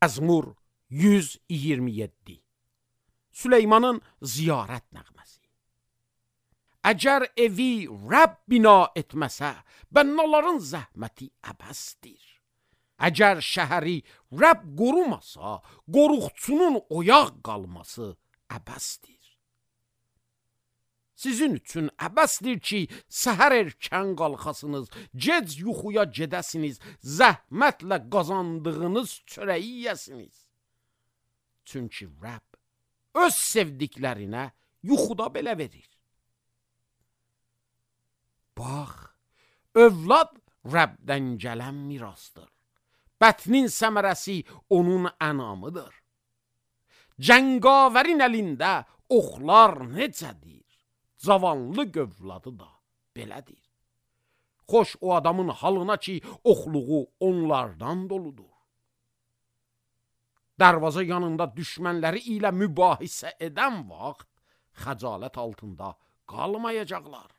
Məzmur 127. Süleymanın ziyarət nəğməsi. Əgər evi Rəbb bina etməsə, bənnəların zəhməti əbəsdir. Əgər şəhəri Rəbb qorumasa, qoruqçunun oyaq qalması əbəsdir. Sizin üçün əbəsdir ki, səhər erkən qalxasınız, gec yuxuya gedəsiniz, zəhmətlə qazandığınız çörəyi yəsiniz. Çünki Rəbb öz sevdiklərinə yuxuda belə verir. Bax, övlad Rəbdən gələn mirasdır. Bətnin səmərəsi onun ənamıdır. Cəngavərin əlində oxlar necədir? Cavanlı gövladı da belədir. Xoş o adamın halına ki, oxluğu onlardan doludur. Dərvaza yanında düşmənləri ilə mübahisə edən vaxt xəcalət altında qalmayacaqlar.